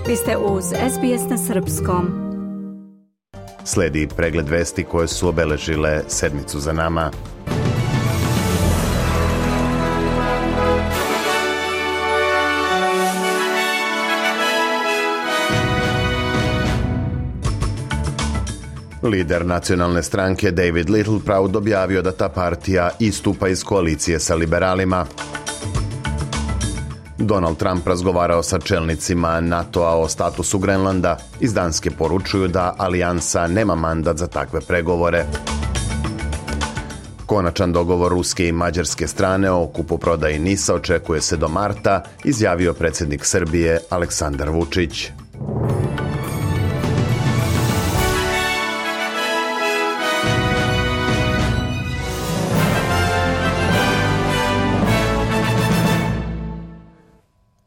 Vi ste uz SBS na srpskom. Slijedi pregled vesti koje su obeležile sedmicu za nama. Lider nacionalne stranke David Littleproud objavio da ta partija istupa iz koalicije sa liberalima. Donald Trump razgovarao sa čelnicima NATO-a o statusu Grenlanda. Iz Danske poručuju da alijansa nema mandat za takve pregovore. Konačan dogovor ruske i mađarske strane o kupoprodaji NIS-a očekuje se do marta, izjavio predsjednik Srbije Aleksandar Vučić.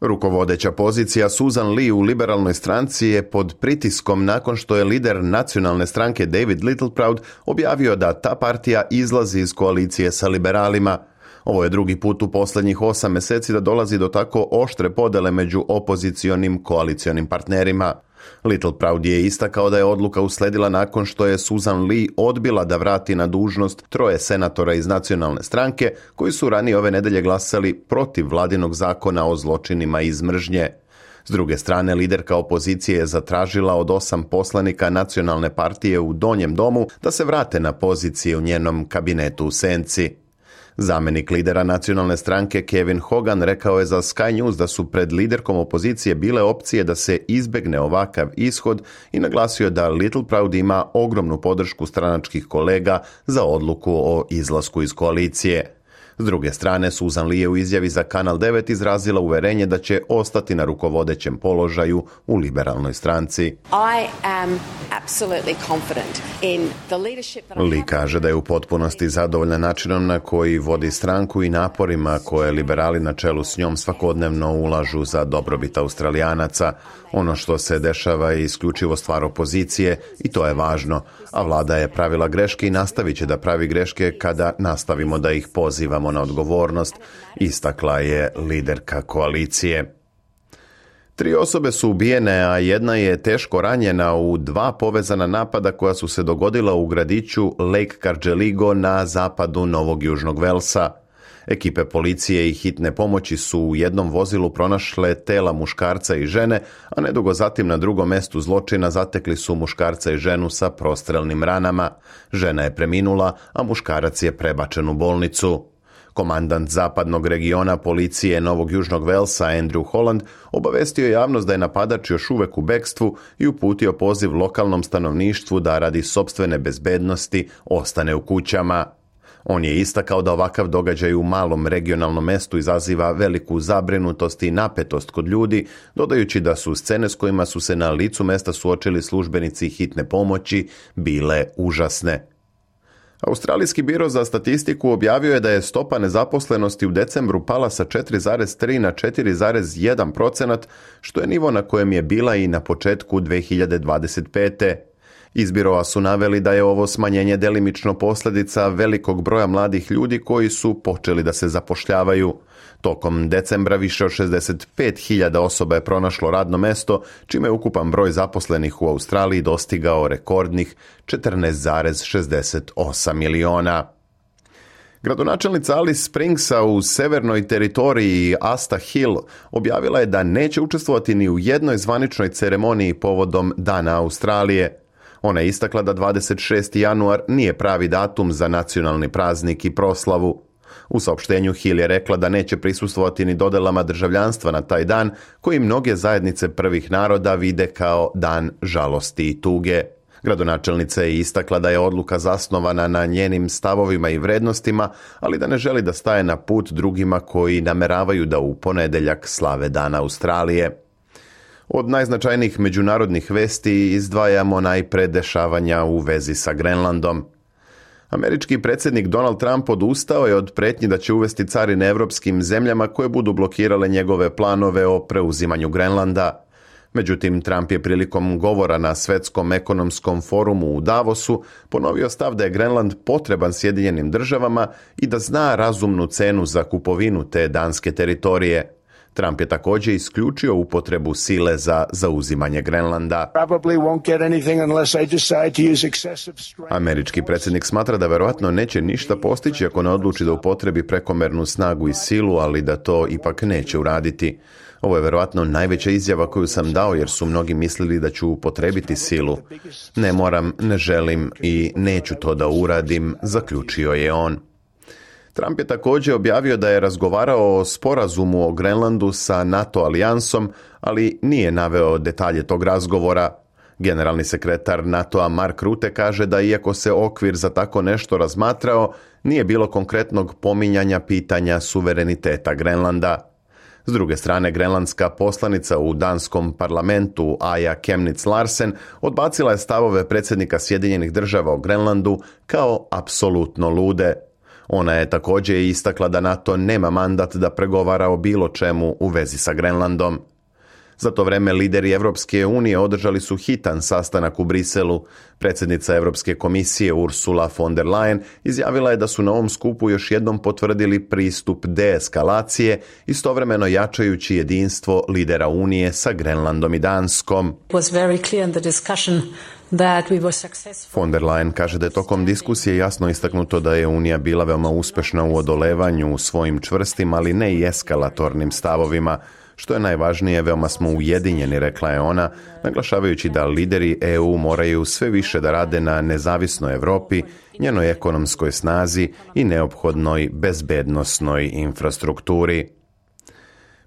Rukovodeća pozicija Susan Lee u liberalnoj stranci je pod pritiskom nakon što je lider nacionalne stranke David Littleproud objavio da ta partija izlazi iz koalicije sa liberalima. Ovo je drugi put u posljednjih 8 mjeseci da dolazi do tako oštre podele među opozicionim koalicionim partnerima. Littleproud je istakao da je odluka usledila nakon što je Susan Lee odbila da vrati na dužnost 3 senatora iz nacionalne stranke koji su ranije ove nedelje glasali protiv vladinog zakona o zločinima iz mržnje. S druge strane, liderka opozicije je zatražila od 8 poslanika nacionalne partije u Donjem domu da se vrate na pozicije u njenom kabinetu u senci. Zamjenik lidera nacionalne stranke Kevin Hogan rekao je za Sky News da su pred liderkom opozicije bile opcije da se izbjegne ovakav ishod i naglasio da Littleproud ima ogromnu podršku stranačkih kolega za odluku o izlasku iz koalicije. S druge strane, Susan Lee je u izjavi za Kanal 9 izrazila uverenje da će ostati na rukovodećem položaju u liberalnoj stranci. Lee kaže da je u potpunosti zadovoljna načinom na koji vodi stranku i naporima koje liberali na čelu s njom svakodnevno ulažu za dobrobit Australijanaca. Ono što se dešava je isključivo stvar opozicije i to je važno, a vlada je pravila greške i nastavit će da pravi greške kada nastavimo da ih pozivamo na odgovornost, istakla je liderka koalicije. 3 osobe su ubijene, a jedna je teško ranjena u 2 povezana napada koja su se dogodila u gradiću Lake Cargelligo na zapadu Novog Južnog Velsa. Ekipe policije i hitne pomoći su u jednom vozilu pronašle tela muškarca i žene, a nedugo zatim na drugom mjestu zločina zatekli su muškarca i ženu sa prostrelnim ranama. Žena je preminula, a muškarac je prebačen u bolnicu. Komandant zapadnog regiona policije Novog Južnog Velsa Andrew Holland obavestio je javnost da je napadač još uvek u bekstvu i uputio poziv lokalnom stanovništvu da radi sopstvene bezbednosti ostane u kućama. On je istakao da ovakav događaj u malom regionalnom mestu izaziva veliku zabrinutost i napetost kod ljudi, dodajući da su scene s kojima su se na licu mesta suočili službenici hitne pomoći bile užasne. Australijski biro za statistiku objavio je da je stopa nezaposlenosti u decembru pala sa 4,3 na 4,1%, što je nivo na kojem je bila i na početku 2025. Iz biroa su naveli da je ovo smanjenje delimično posljedica velikog broja mladih ljudi koji su počeli da se zapošljavaju. Tokom decembra više od 65.000 osoba je pronašlo radno mesto, čime je ukupan broj zaposlenih u Australiji dostigao rekordnih 14,68 miliona. Gradonačelnica Alice Springsa u severnoj teritoriji Asta Hill objavila je da neće učestvovati ni u jednoj zvaničnoj ceremoniji povodom Dana Australije. Ona je istakla da 26. januar nije pravi datum za nacionalni praznik i proslavu. U saopštenju Hill je rekla da neće prisustvovati ni dodelama državljanstva na taj dan, koji mnoge zajednice prvih naroda vide kao dan žalosti i tuge. Gradonačelnica je istakla da je odluka zasnovana na njenim stavovima i vrednostima, ali da ne želi da staje na put drugima koji nameravaju da u ponedjeljak slave Dan Australije. Od najznačajnijih međunarodnih vesti izdvajamo najpre dešavanja u vezi sa Grenlandom. Američki predsjednik Donald Trump odustao je od pretnji da će uvesti carine evropskim zemljama koje budu blokirale njegove planove o preuzimanju Grenlanda. Međutim, Trump je prilikom govora na Svjetskom ekonomskom forumu u Davosu ponovio stav da je Grenland potreban Sjedinjenim državama i da zna razumnu cenu za kupovinu te danske teritorije. Trump je također isključio upotrebu sile za zauzimanje Grenlanda. Američki predsjednik smatra da verovatno neće ništa postići ako ne odluči da upotrebi prekomernu snagu i silu, ali da to ipak neće uraditi. Ovo je verovatno najveća izjava koju sam dao jer su mnogi mislili da ću upotrebiti silu. Ne moram, ne želim i neću to da uradim, zaključio je on. Trump je također objavio da je razgovarao o sporazumu o Grenlandu sa NATO alijansom, ali nije naveo detalje tog razgovora. Generalni sekretar NATO-a Mark Rutte kaže da iako se okvir za tako nešto razmatrao, nije bilo konkretnog pominjanja pitanja suvereniteta Grenlanda. S druge strane, grenlandska poslanica u danskom parlamentu Aja Kemnitz Larsen odbacila je stavove predsjednika Sjedinjenih Država o Grenlandu kao apsolutno lude. Ona je također istakla da NATO nema mandat da pregovara o bilo čemu u vezi sa Grenlandom. Za to vreme lideri Europske unije održali su hitan sastanak u Briselu. Predsjednica Europske komisije Ursula von der Leyen izjavila je da su na ovom skupu još jednom potvrdili pristup deeskalacije, istovremeno jačajući jedinstvo lidera Unije sa Grenlandom i Danskom. Von der Leyen kaže da je tokom diskusije jasno istaknuto da je Unija bila veoma uspešna u odolevanju svojim čvrstim, ali ne i eskalatornim stavovima. Što je najvažnije, veoma smo ujedinjeni, rekla je ona, naglašavajući da lideri EU moraju sve više da rade na nezavisnoj Europi, njenoj ekonomskoj snazi i neophodnoj bezbednosnoj infrastrukturi.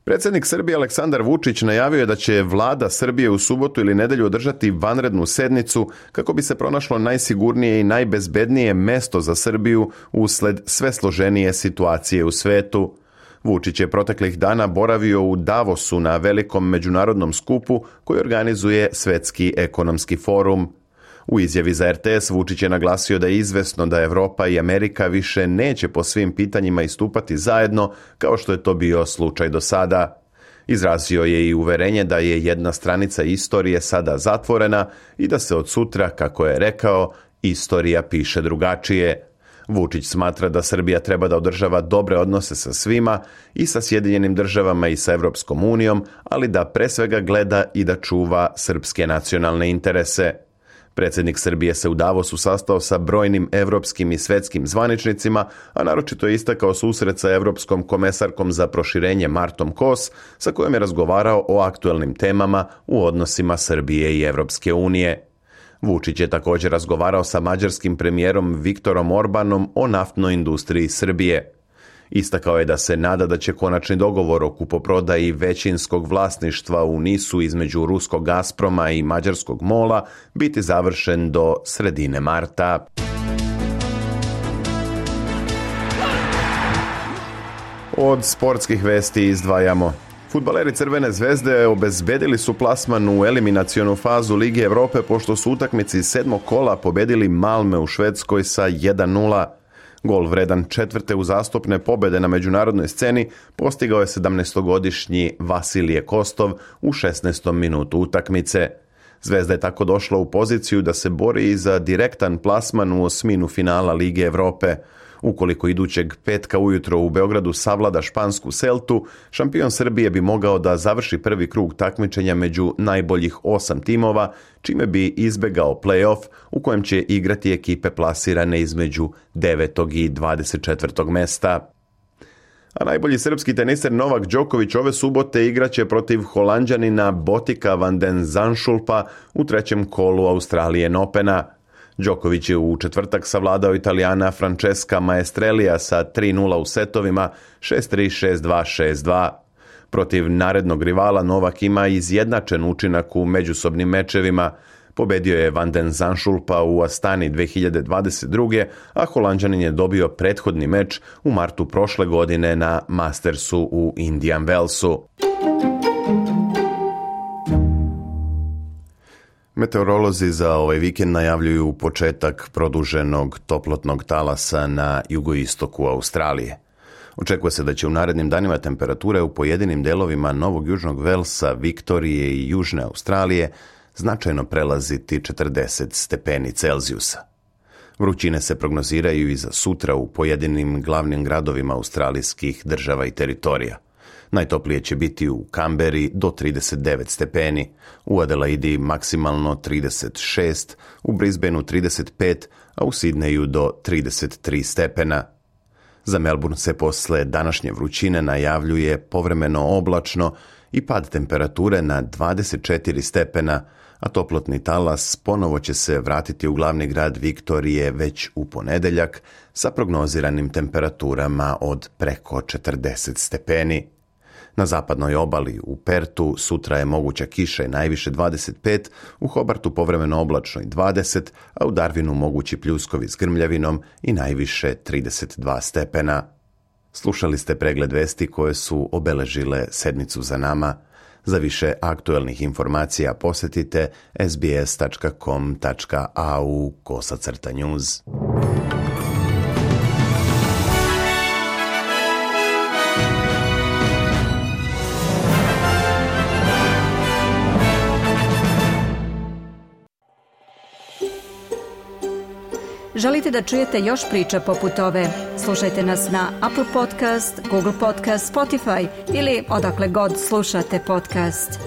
Predsjednik Srbije Aleksandar Vučić najavio je da će vlada Srbije u subotu ili nedjelju održati vanrednu sednicu kako bi se pronašlo najsigurnije i najbezbednije mesto za Srbiju usled sve složenije situacije u svetu. Vučić je proteklih dana boravio u Davosu na velikom međunarodnom skupu koji organizuje Svetski ekonomski forum. U izjavi za RTS Vučić je naglasio da je izvesno da Europa i Amerika više neće po svim pitanjima istupati zajedno kao što je to bio slučaj do sada. Izrazio je i uverenje da je jedna stranica istorije sada zatvorena i da se od sutra, kako je rekao, istorija piše drugačije. Vučić smatra da Srbija treba da održava dobre odnose sa svima, i sa Sjedinjenim Državama i sa Europskom unijom, ali da pre svega gleda i da čuva srpske nacionalne interese. Predsjednik Srbije se u Davosu sastao sa brojnim evropskim i svetskim zvaničnicima, a naročito je istakao susret sa evropskom komesarkom za proširenje Martom Kos, sa kojom je razgovarao o aktuelnim temama u odnosima Srbije i Evropske unije. Vučić je također razgovarao sa mađarskim premijerom Viktorom Orbanom o naftnoj industriji Srbije. Istakao je da se nada da će konačni dogovor o kupoprodaji većinskog vlasništva u NIS-u između ruskog Gazproma i mađarskog MOL-a biti završen do sredine marta. Od sportskih vesti izdvajamo: fudbaleri Crvene zvezde obezbedili su plasman u eliminacionu fazu Lige Evrope pošto su utakmici 7. kola pobedili Malme u Švedskoj sa 1:0. Gol vredan četvrte uzastopne pobede na međunarodnoj sceni postigao je 17-godišnji Vasilije Kostov u 16. minutu utakmice. Zvezda je tako došla u poziciju da se bori i za direktan plasman u osminu finala Lige Evrope. Ukoliko idućeg petka ujutro u Beogradu savlada špansku Celtu, šampion Srbije bi mogao da završi prvi krug takmičenja među najboljih 8 timova, čime bi izbegao play-off u kojem će igrati ekipe plasirane između 9. i 24. mesta. A najbolji srpski teniser Novak Đoković ove subote igraće protiv Holanđanina Botika van den Zandschulpa u trećem kolu Australian Opena. Đoković je u četvrtak savladao Italijana Francesca Maestrelija sa 3:0 u setovima 6-3, 6-2, 6-2. Protiv narednog rivala Novak ima izjednačen učinak u međusobnim mečevima. Pobedio je van den Zandschulpa u Astani 2022. a Holanđanin je dobio prethodni meč u martu prošle godine na Mastersu u Indian Wellsu. Meteorolozi za ovaj vikend najavljuju početak produženog toplotnog talasa na jugoistoku Australije. Očekuje se da će u narednim danima temperature u pojedinim delovima Novog Južnog Velsa, Viktorije i Južne Australije značajno prelaziti 40 stepeni Celzijusa. Vrućine se prognoziraju i za sutra u pojedinim glavnim gradovima australijskih država i teritorija. Najtoplije će biti u Kamberi do 39 stepeni, u Adelaidi maksimalno 36, u Brisbaneu 35, a u Sidneju do 33 stepena. Za Melbourne se posle današnje vrućine najavljuje povremeno oblačno i pad temperature na 24 stepena, a toplotni talas ponovo će se vratiti u glavni grad Viktorije već u ponedeljak sa prognoziranim temperaturama od preko 40 stepeni. Na zapadnoj obali u Pertu sutra je moguća kiša i najviše 25, u Hobartu povremeno oblačno i 20, a u Darwinu mogući pljuskovi s grmljavinom i najviše 32 stepena. Slušali ste pregled vesti koje su obeležile sedmicu za nama. Za više aktuelnih informacija posjetite sbs.com.au/news. Želite da čujete još priča poput ove? Slušajte nas na Apple Podcast, Google Podcast, Spotify ili odakle god slušate podcast.